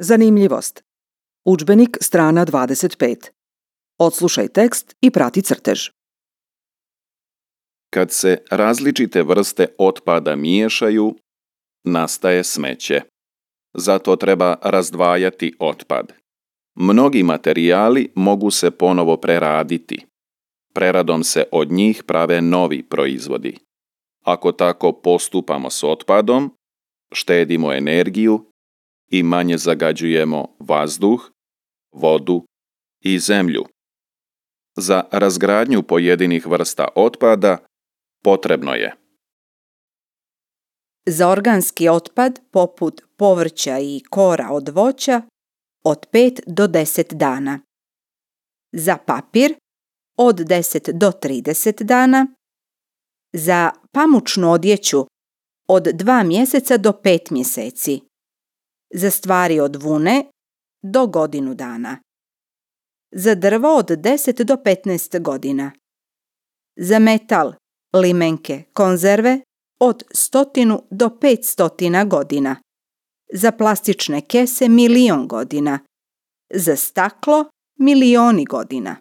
Zanimljivost. Udžbenik strana 25. Odslušaj tekst i prati crtež. Kad se različite vrste otpada miješaju, nastaje smeće. Zato treba razdvajati otpad. Mnogi materijali mogu se ponovo preraditi. Preradom se od njih prave novi proizvodi. Ako tako postupamo s otpadom, štedimo energiju i manje zagađujemo vazduh, vodu i zemlju. Za razgradnju pojedinih vrsta otpada potrebno je za organski otpad poput povrća i kora od voća od 5 do 10 dana, za papir od 10 do 30 dana, za pamučnu odjeću od 2 mjeseca do 5 mjeseci, za stvari od vune do godinu dana, za drvo od 10 do 15 godina, za metal, limenke, konzerve od 100 do 500 godina, za plastične kese 1.000.000 godina, za staklo milioni godina.